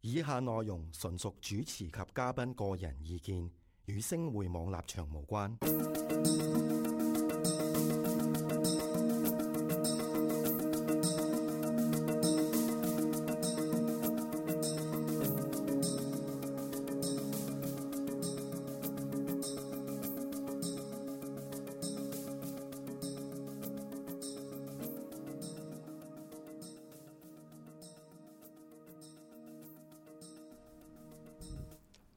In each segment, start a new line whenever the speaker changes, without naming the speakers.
以下內容純屬主持及嘉賓個人意見，與星匯網立場無關。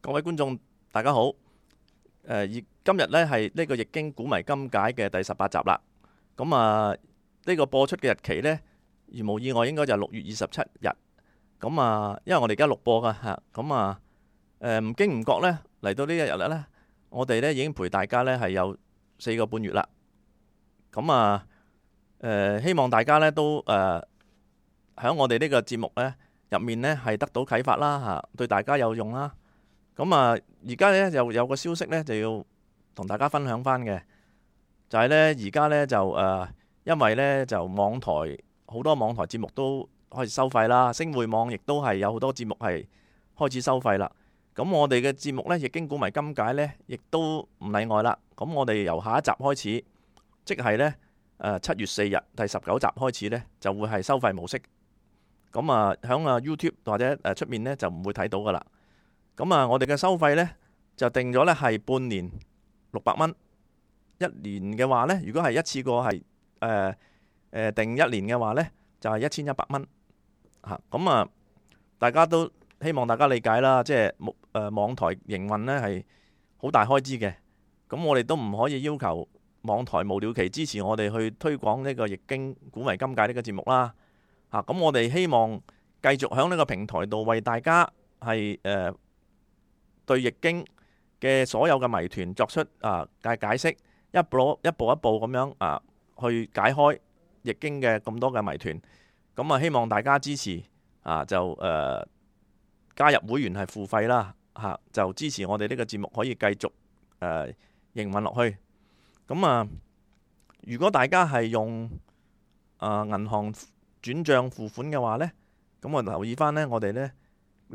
各位觀眾，大家好。今日呢係呢個《易經古謎今解》嘅第18集啦。咁呢個播出嘅日期呢，如無意外應該就係6月27日。咁因為我哋而家錄播噶嚇，唔經唔覺呢嚟到呢一日呢，我哋呢已經陪大家呢係有4個半月啦。希望大家呢都喺我哋呢個節目呢入面呢係得到啟發啦嚇，對大家有用啦。而家咧又有個消息咧，就要同大家分享翻嘅，就係咧而家咧就因為咧就網台好多網台節目都開始收費啦，星匯網亦都係有好多節目係開始收費啦。咁我哋嘅節目咧《易經古謎今解》咧，亦都唔例外啦。咁我哋由下一集開始，即係咧7月4日第19集開始咧，就會係收費模式。咁響YouTube 或者出面咧就唔會睇到噶啦。我哋嘅收費呢，就定咗呢係半年600蚊，一年嘅話呢，如果係一次過係定一年嘅話呢，就係1100蚊嚇。大家都希望大家理解啦，即係網台營運呢係好大開支嘅。咁我哋都唔可以要求網台無了期支持我哋去推廣呢個《易經古謎今解》呢個節目啦嚇。咁我哋希望繼續喺呢個平台度為大家係對易經嘅所有嘅謎團作出解釋，一步一步咁樣去解開易經嘅咁多嘅謎團。希望大家支持就加入會員係付費啦嚇，就支持我哋呢個節目可以繼續營運落去。如果大家係用銀行轉帳付款嘅話呢，咁我留意翻呢，我哋呢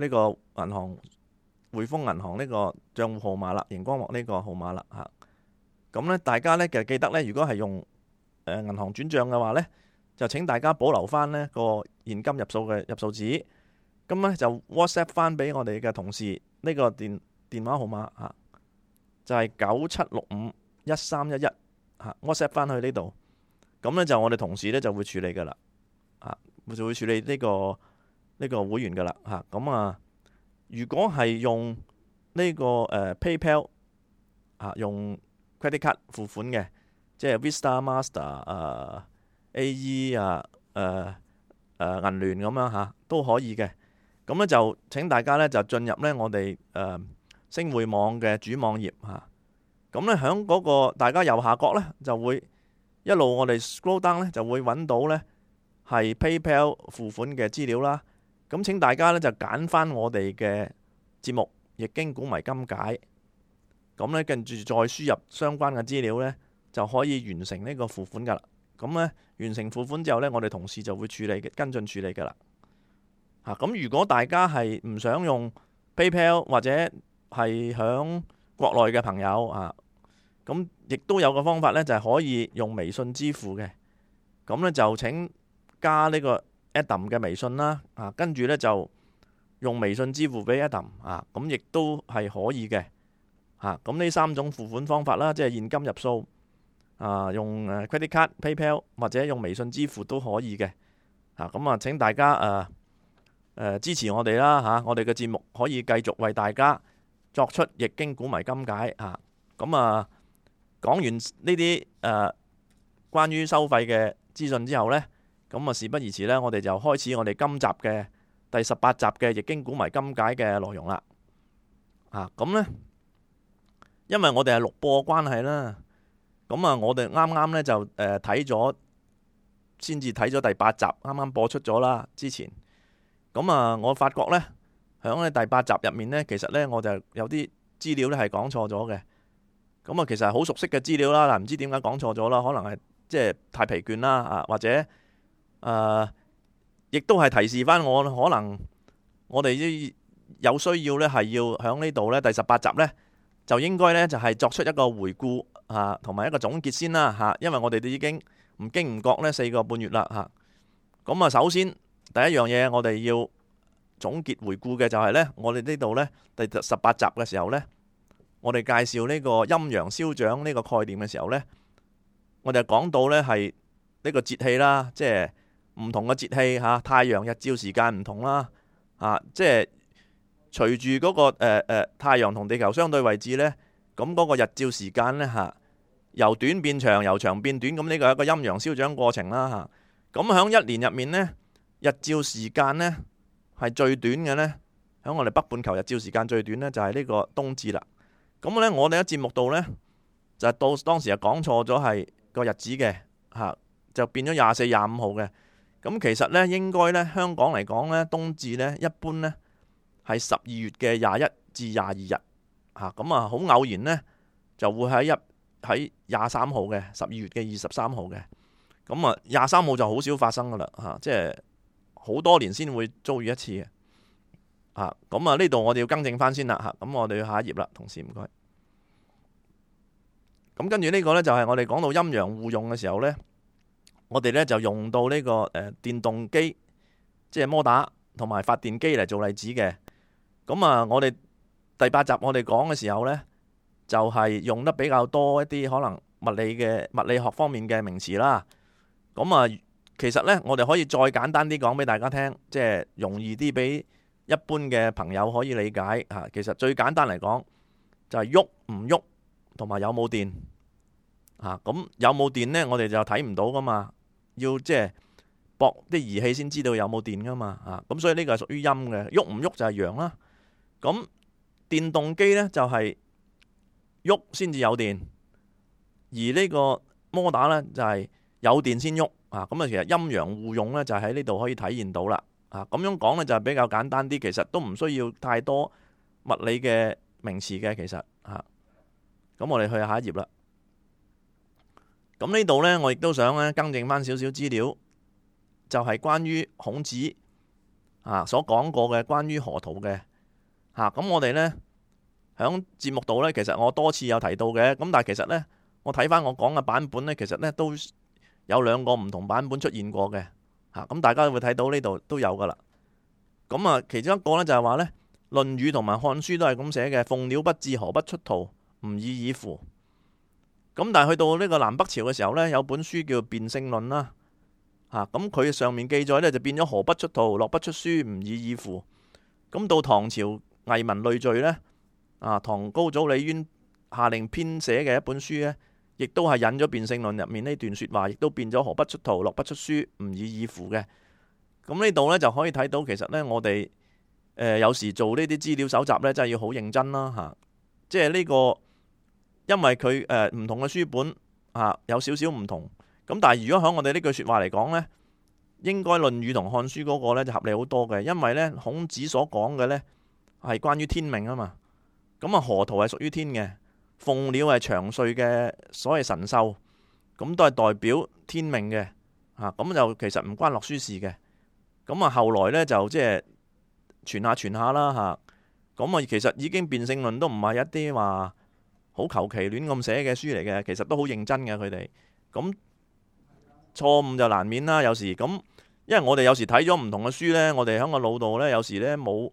個銀行匯豐銀行呢個帳戶號碼啦，熒光幕呢個號碼啦嚇。咁呢大家呢其實記得呢，如果係用銀行轉帳嘅話呢，就請大家保留翻呢個現金入數嘅入數紙。咁呢就 WhatsApp 翻俾我哋嘅同事呢個電話號碼嚇，就係97651311嚇，WhatsApp 翻去呢度。咁呢就我哋同事呢就會處理噶啦嚇，就會處理呢個會員噶啦嚇。如果係用呢個PayPal 用 credit card 付款嘅，即係 Visa、Master、AE 銀聯咁樣嚇都可以嘅。咁咧就請大家咧就進入咧我哋星匯網嘅主網頁嚇。咁咧喺嗰個大家右下角咧就會一路我哋 scroll down 咧就會揾到咧係 PayPal 付款嘅資料啦。咁請大家咧就揀翻我哋嘅節目《易經古謎今解》，咁咧跟住再輸入相關嘅資料咧，就可以完成呢個付款噶啦。咁咧完成付款之後咧，我哋同事就會跟進處理噶啦。咁如果大家係唔想用 PayPal 或者係響國內嘅朋友咁亦都有個方法咧，就係可以用微信支付嘅。咁咧就請加呢個Adam 嘅微信啦，跟住呢就用微信支付俾 Adam 咁亦都係可以嘅咁呢3種付款方法啦，即係現金入數用credit card、PayPal 或者用微信支付都可以嘅請大家支持我哋啦我哋嘅節目可以繼續為大家作出易經古謎今解講完呢啲關於收費嘅資訊之後呢。事不宜遲呢，我哋就開始我哋今集嘅第18集嘅《易經古謎今解》嘅內容啦。咁呢，因為我哋係錄播關係啦，我哋啱啱呢就先至睇咗第8集，啱啱播出咗啦。之前我發覺呢，響第8集入面呢，其實呢我就有啲資料呢係講錯咗嘅。咁啊，其實係好熟悉嘅資料啦，但唔知點解講錯咗啦，可能係即係太疲倦啦啊，或者亦都係提示翻我，可能我哋有需要呢，係要喺呢度呢，第18集呢，就應該呢，就係作出一個回顧啊，同埋一個總結先啦嚇，因為我哋都已經唔經唔覺呢4個半月啦嚇。咁啊，首先第一樣嘢我哋要總結回顧嘅就係呢，我哋呢度呢，第18集嘅時候呢，我哋介紹呢個陰陽消長呢個概念嘅時候呢，我哋講到呢係呢個節氣啦，即係唔同嘅節氣嚇，太陽日照時間唔同啦，即係隨住嗰個太陽同地球相對位置呢，咁嗰個日照時間呢嚇，由短變長，由長變短，咁呢個係一個陰陽消長過程啦嚇。咁喺一年入面呢，日照時間呢係最短嘅呢，喺我哋北半球日照時間最短呢，就係呢個冬至啦。咁呢，我哋喺節目度呢，就係到當時係講錯咗係個日子嘅嚇，就變咗24、25號嘅。咁其實呢，應該呢，香港嚟講呢，冬至呢一般呢係12月嘅21至22日嚇。咁啊，好偶然呢，就會喺23號嘅12月嘅23號嘅。咁啊，23號就好少發生噶啦嚇，即係好多年先會遭遇一次嘅嚇。咁啊，呢度我哋要更正翻先啦嚇。咁我哋要下一頁啦，同事唔該。咁跟住呢個呢，就係我哋講到陰陽互用嘅時候呢，我哋呢就用到呢個電動機，即係摩打同埋發電機嚟做例子嘅。咁啊，我哋第8集我哋講嘅時候呢，就係用得比較多一啲可能物理學方面嘅名詞啦。咁啊，其實呢，我哋可以再簡單啲講俾大家聽，即係容易啲俾一般嘅朋友可以理解嚇。其實最簡單嚟講，就係喐唔喐同埋有冇電嚇。咁有冇電呢？我哋就睇唔到噶嘛，要即係駁啲儀器先知道有冇電噶嘛嚇。咁所以呢個係屬於陰嘅，喐唔喐就係陽啦。咁電動機呢，就係喐先至有電，而呢個摩打呢，就係有電先喐啊。咁啊，其實陰陽互用呢，就喺呢度可以體現到啦啊。咁樣講呢，就係比較簡單啲，其實都唔需要太多物理嘅名詞嘅，其實嚇。咁我哋去下一頁啦。咁呢度呢，我亦都想咧更正翻少少資料，就係關於孔子所講過嘅關於河圖嘅嚇。咁我哋呢，喺節目度呢，其實我多次有提到嘅。咁但係其實呢，我睇翻我講嘅版本呢，其實呢都有2個唔同版本出現過嘅嚇。咁大家會睇到呢度都有噶啦。咁啊，其中一個呢，就係話呢，《論語》同埋《漢書》都係咁寫嘅：鳳鳥不至，河不出圖，吾已矣乎。咁但係去到呢個南北朝嘅時候呢，有本書叫《辯聖論》啦嚇。咁佢上面記載呢，就變咗河不出圖，洛不出書，吾已矣乎。咁到唐朝《藝文類序》呢，唐高祖李淵下令編寫嘅一本書呢，亦都係引咗《辯聖論》入面呢段説話，亦都變咗河不出圖，洛不出書，吾已矣乎嘅。咁呢度呢，就可以睇到，其實呢，我哋有時做呢啲資料搜集呢，真係要好認真啦嚇。即係呢個，因為佢唔同嘅書本有少少唔同。咁但係如果喺我哋呢句説話嚟講呢，應該《論語》同《漢書》嗰個呢就合理好多嘅，因為呢，孔子所講嘅呢係關於天命啊嘛。咁啊，河圖係屬於天嘅，鳳鳥係長歲嘅所謂神獸，咁都係代表天命嘅嚇。咁就其實唔關洛書事嘅。咁啊，後來呢，就即係傳下啦嚇。咁啊，其實已經辯聖論都唔係一啲話好求其亂咁寫嘅書嚟嘅，其實都好認真嘅佢哋。咁錯誤就難免啦，有時咁，因為我哋有時睇咗唔同嘅書呢，我哋喺個腦度呢，有時呢冇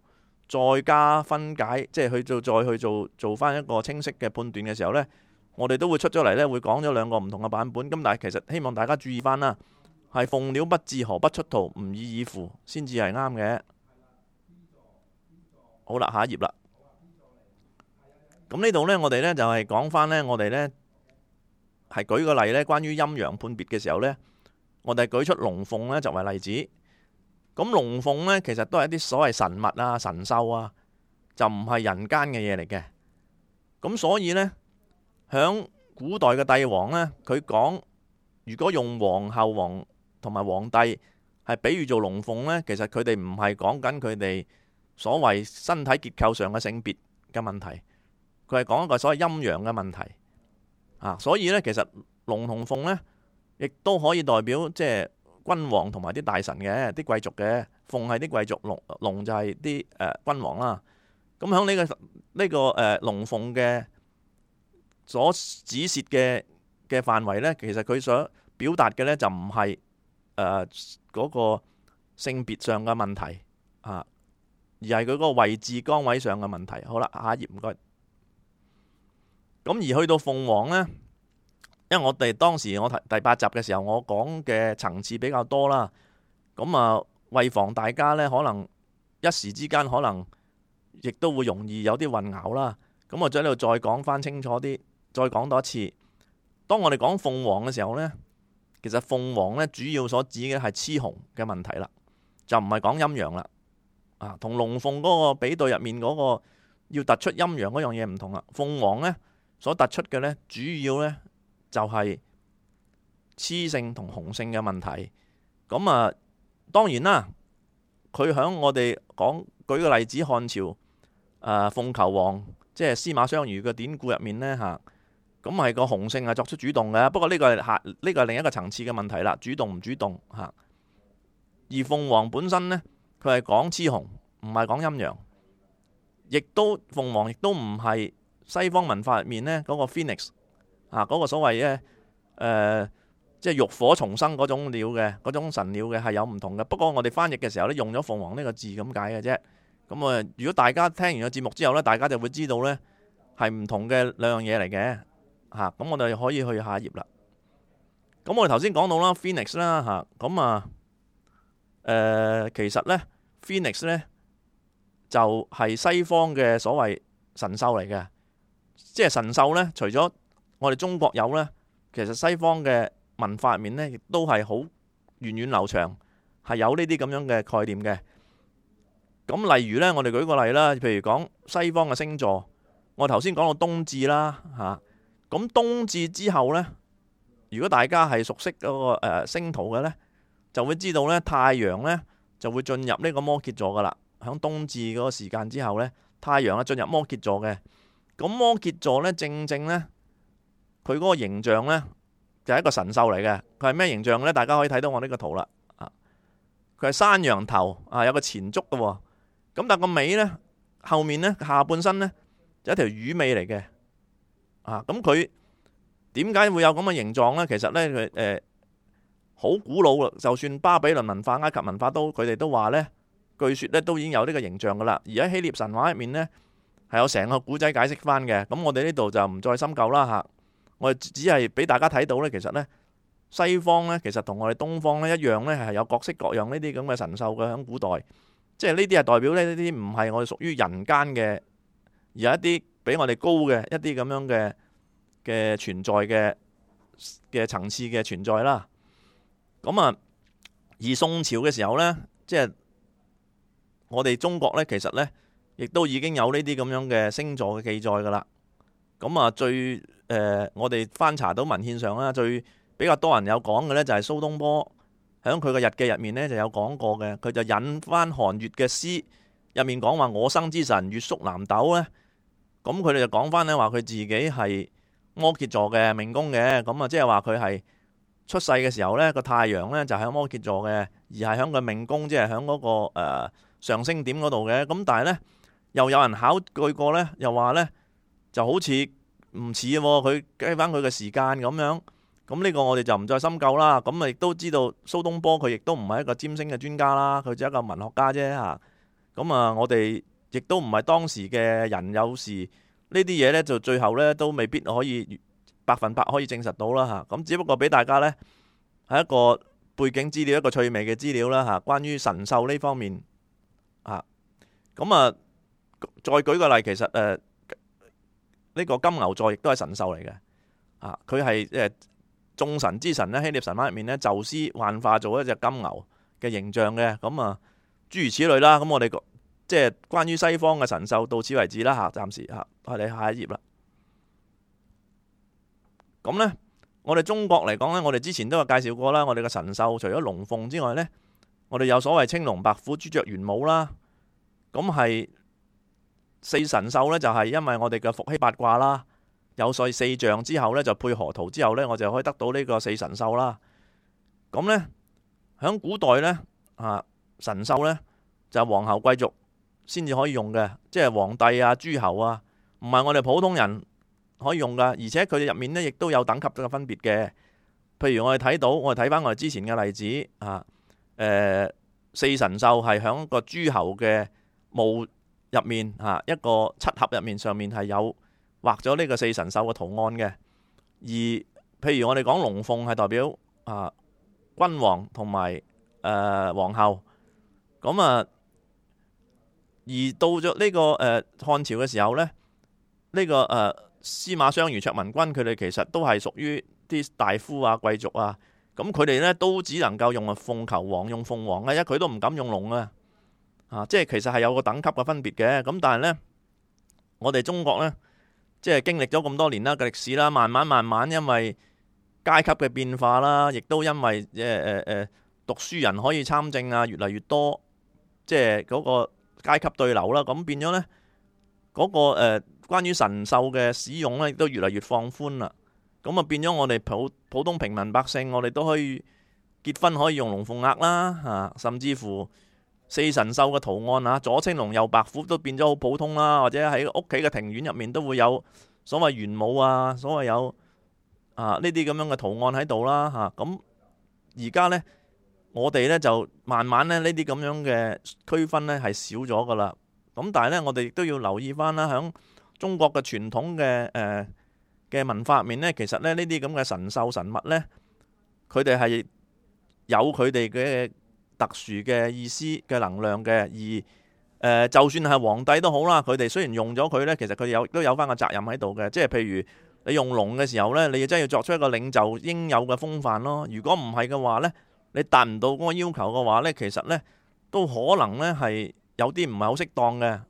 再加分解，即係再去做翻一個清晰嘅判斷嘅時候呢，我哋都會出咗嚟呢，會講咗2個唔同嘅版本。咁但係其實希望大家注意翻啦，係鳳鳥不至，河不出圖，吾已矣乎先至係啱嘅。好啦，下一頁啦。咁呢度呢，我哋呢就係講翻呢，我哋呢係舉個例呢，關於陰陽判別嘅時候呢，我哋舉出龍鳳呢作為例子。咁龍鳳呢，其實都係一啲所謂神物啊、神獸啊，就唔係人間嘅嘢嚟嘅。咁所以呢，響古代嘅帝王呢，佢講如果用皇后、王同埋皇帝係比喻做龍鳳呢，其實佢哋唔係講緊佢哋所謂身體結構上嘅性別嘅問題，佢係講一個所謂陰陽嘅問題。所以咧其實龍同鳳咧，亦都可以代表即係君王同埋啲大臣嘅啲貴族嘅，鳳係啲貴族，龍就係啲君王啦。咁喺呢個龍鳳嘅所指涉嘅範圍咧，其實佢所表達嘅咧就唔係嗰個性別上嘅問題而係佢嗰個位置崗位上嘅問題。好啦，下一頁唔該。咁而去到鳳凰咧，因為我哋當時我第8集嘅時候，我講嘅層次比較多啦。咁為防大家咧可能一時之間可能亦都會容易有啲混淆啦。咁我喺度再講翻清楚啲，再講多一次。當我哋講鳳凰嘅時候咧，其實鳳凰咧主要所指嘅係雌雄嘅問題啦，就唔係講陰陽啦。同龍鳳嗰個比對入面嗰個要突出陰陽嗰樣嘢唔同啦。鳳凰咧所突出嘅咧，主要咧就係雌性同雄性嘅問題。咁當然啦，佢響我哋講舉個例子，漢朝鳳求凰，即係司馬相如嘅典故入面咧咁係個雄性係作出主動嘅。不過呢個係另一個層次嘅問題啦，主動唔主動而鳳凰本身咧，佢係講雌雄，唔係講陰陽。亦都鳳凰亦都唔係西方文化入面咧嗰個 Phoenix 嗰個所謂嘅即係浴火重生嗰種鳥嘅嗰種神鳥嘅係有唔同嘅。不過我哋翻譯嘅時候咧用咗鳳凰呢個字咁解嘅啫。咁如果大家聽完個節目之後咧，大家就會知道咧係唔同嘅兩樣嘢嚟嘅咁我哋可以去下一頁啦。咁我哋頭先講到啦 Phoenix 啦其實咧 Phoenix 咧就係西方嘅所謂神獸嚟嘅。即係神獸咧，除咗我哋中國有咧，其實西方嘅文化入面咧，亦都係好源遠流長，係有呢啲咁樣嘅概念嘅。咁例如咧，我哋舉個例啦，譬如講西方嘅星座，我頭先講到冬至啦咁冬至之後咧，如果大家係熟悉嗰個星圖嘅咧，就會知道咧太陽咧就會進入呢個摩羯座噶啦。響冬至嗰個時間之後咧，太陽進入摩羯座嘅。咁摩羯座咧，正正咧，佢嗰個形象咧就係一個神獸嚟嘅。佢係咩形象咧？大家可以睇到我呢個圖啦。佢係山羊頭有個前足嘅。咁但係個尾咧，後面咧下半身咧就一條魚尾嚟嘅。咁佢點解會有咁嘅形狀咧？其實咧佢好古老啦。就算巴比倫文化、埃及文化都佢哋都話咧，據說咧都已經有呢個形象噶啦。而喺希臘神話入面咧，係有成個古仔解釋翻嘅。咁我哋呢度就唔再深究啦我哋只係俾大家睇到咧，其實咧西方咧其實同我哋東方咧一樣咧，係有各式各樣呢啲咁嘅神獸嘅。喺古代，即係呢啲係代表呢啲唔係我哋屬於人間嘅，而係一啲比我哋高嘅一啲咁樣嘅存在嘅層次嘅存在啦。咁而宋朝嘅時候咧，即係我哋中國咧，其實咧亦都已經有呢啲咁樣嘅星座嘅記載噶啦。咁最我哋翻查到文獻上啦，最比較多人有講嘅咧就係蘇東坡喺佢嘅日記入面咧就有講過嘅。佢就引翻韓愈嘅詩入面講話我生之辰月宿南斗咧。咁佢哋就講翻咧話佢自己係摩羯座嘅命宮嘅。咁即係話佢係出世嘅時候咧個太陽咧就喺摩羯座嘅，而係喺個命宮，即係喺嗰個上升點嗰度嘅。咁但係咧又有人考據過咧，又話咧就好似唔似佢計翻佢嘅時間咁樣。咁呢個我哋就唔再深究啦。咁亦都知道蘇東坡佢亦都唔係一個占星嘅專家啦，佢只係一個文學家啫咁我哋亦都唔係當時嘅人，有時呢啲嘢咧就最後咧都未必可以100%可以證實到啦咁只不過俾大家咧係一個背景資料，一個趣味嘅資料啦關於神獸呢方面再舉個例，其實呢個金牛座亦都係神獸嚟嘅佢係眾神之神咧，希臘神話入面咧，宙斯幻化做一隻金牛嘅形象嘅。咁諸如此類啦。咁我哋即係關於西方嘅神獸到此為止啦暫時我哋下一頁啦。咁咧我哋中國嚟講咧，我哋之前都有介紹過啦。我哋嘅神獸除咗龍鳳之外咧，我哋有所謂青龍白虎朱雀玄武啦。咁係4神獸咧，就係因為我哋嘅伏羲八卦啦，有四象之後呢，就配河圖之後呢，我就可以得到呢個四神獸啦。咁呢，喺古代呢，神獸呢，就係皇后貴族先至可以用嘅，即係皇帝啊、諸侯啊，唔係我哋普通人可以用噶。而且佢哋入面呢，亦都有等級嘅分別嘅。譬如我哋睇到，我哋睇翻我哋之前嘅例子四神獸係喺個諸侯嘅墓入面一個漆盒入面上面係有畫咗呢個四神獸嘅圖案嘅。而譬如我哋講龍鳳係代表君王同埋皇后。咁而到咗呢個漢朝嘅時候呢，呢個司馬相如、卓文君佢哋其實都係屬於啲大夫啊、貴族啊。咁佢哋呢都只能夠用鳳求凰，用鳳凰嘅，因為佢都唔敢用龍啊。即係其實係有個等級嘅分別嘅。咁但係呢，我哋中國呢，即係經歷咗咁多年啦嘅歷史啦，慢慢因為階級嘅變化啦，亦都因為讀書人可以參政啊，越嚟越多，即係嗰個階級對流啦。咁變咗呢，嗰個關於神獸嘅使用呢，亦都越嚟越放寬啦。咁變咗我哋普通平民百姓，我哋都可以結婚可以用龍鳳鈪啦，甚至乎四神獸嘅圖案左青龍右白虎都變咗好普通啦。或者喺屋企嘅庭院入面都會有所謂玄武啊，所謂有呢啲咁樣嘅圖案喺度啦。咁而家呢，我哋呢就慢慢呢啲咁樣嘅區分呢係少咗噶啦。咁但係呢，我哋亦都要留意翻啦，響中國嘅傳統嘅文化入面呢，其實呢啲咁嘅神獸神物呢，佢哋係有佢哋嘅特殊嘅意思嘅能量嘅。而就算係皇帝都好啦，佢哋雖然用咗佢呢，其實佢哋都有翻個責任喺度嘅。即係譬如你用龍嘅時候呢，你真係要作出一個領袖應有嘅風範咯。如果唔係嘅話呢，你達唔到嗰個要求嘅話呢，其實呢都可能呢係有啲唔係好適當嘅。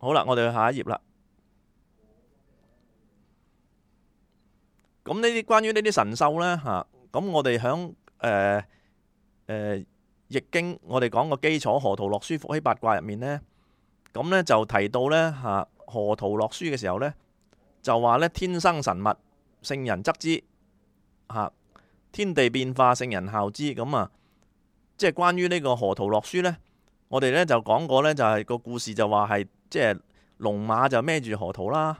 好啦，我哋去下一頁啦。咁呢啲關於呢啲神獸呢，咁我哋響易經我哋講個基礎河圖洛書伏羲八卦入面呢，咁呢就提到呢，河圖洛書嘅時候呢，就話呢，天生神物，聖人則之，天地變化，聖人效之。咁即係關於呢個河圖洛書呢，我哋呢就講過呢，就係個故事就話係即係龍馬就孭住河圖啦，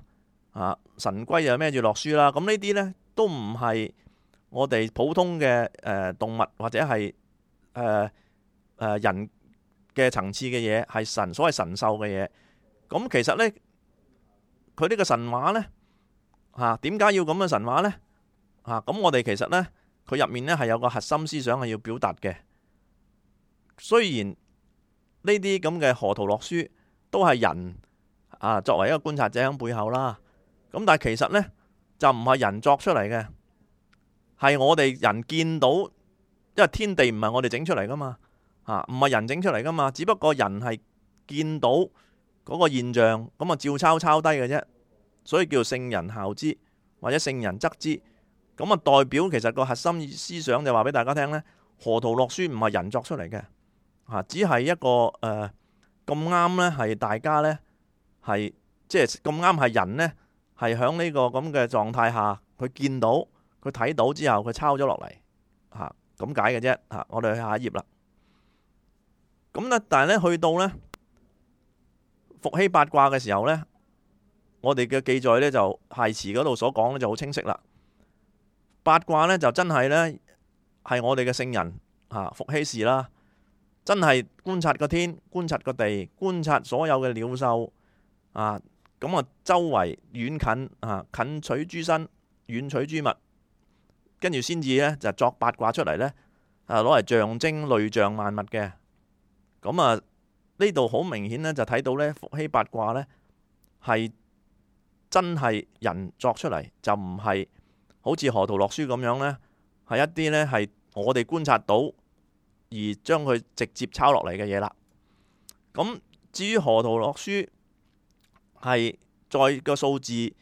神龜就孭住洛書啦。咁呢啲呢都唔係我哋普通嘅動物或者係人嘅層次嘅嘢，係所謂神獸嘅嘢。咁其實呢，佢呢個神話呢，點解要咁嘅神話呢？咁我哋其實呢，佢入面呢係有個核心思想係要表達嘅。雖然呢啲咁嘅河圖洛書都係人作為一個觀察者喺背後啦，咁但係其實呢，就唔係人作出嚟嘅，係我哋人見到，因為天地唔係我哋整出嚟噶嘛，唔係人整出嚟噶嘛，只不過人係見到嗰個現象，咁照抄低嘅啫，所以叫聖人效之或者聖人則之。咁代表其實個核心思想就話俾大家聽呢，河圖洛書唔係人作出嚟嘅，只係一個咁啱呢，係大家呢，係即係咁啱係人呢，係響呢個咁嘅狀態下，佢見到佢睇到之後，佢抄咗落嚟，咁解嘅啫。我哋去下一頁啦。咁呢，但係呢，去到呢伏羲八卦嘅時候呢，我哋嘅記載呢，就繫辭嗰度所講呢就好清晰啦。八卦呢，就真係呢，係我哋嘅聖人伏羲氏啦，真係觀察個天，觀察個地，觀察所有嘅鳥獸咁周圍遠近近取諸身，遠取諸物，跟住先至呢，就作八卦出嚟呢，攞嚟象徵類象萬物嘅。咁呢度好明顯呢，就睇到呢伏羲八卦呢，係真係人作出嚟，就唔係好似河圖洛書咁樣呢，係一啲呢係我哋觀察到而將佢直接抄落嚟嘅嘢啦。咁至於河圖洛書係再個數字，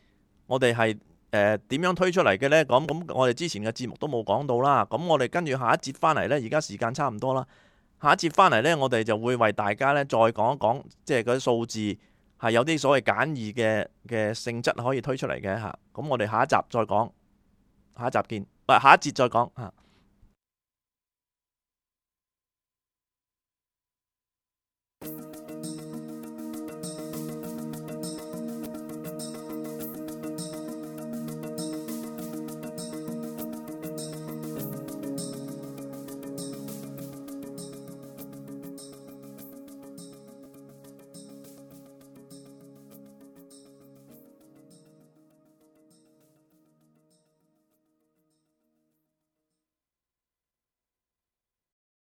我哋係點樣推出嚟嘅呢？咁我哋之前嘅節目都冇講到啦。咁我哋跟住下一節翻嚟呢，而家時間差唔多啦。下一節翻嚟呢，我哋就會為大家呢再講一講，即係嗰啲數字係有啲所謂簡易嘅性質可以推出嚟嘅嚇。咁我哋下一集再講，下一集見，下一節再講嚇。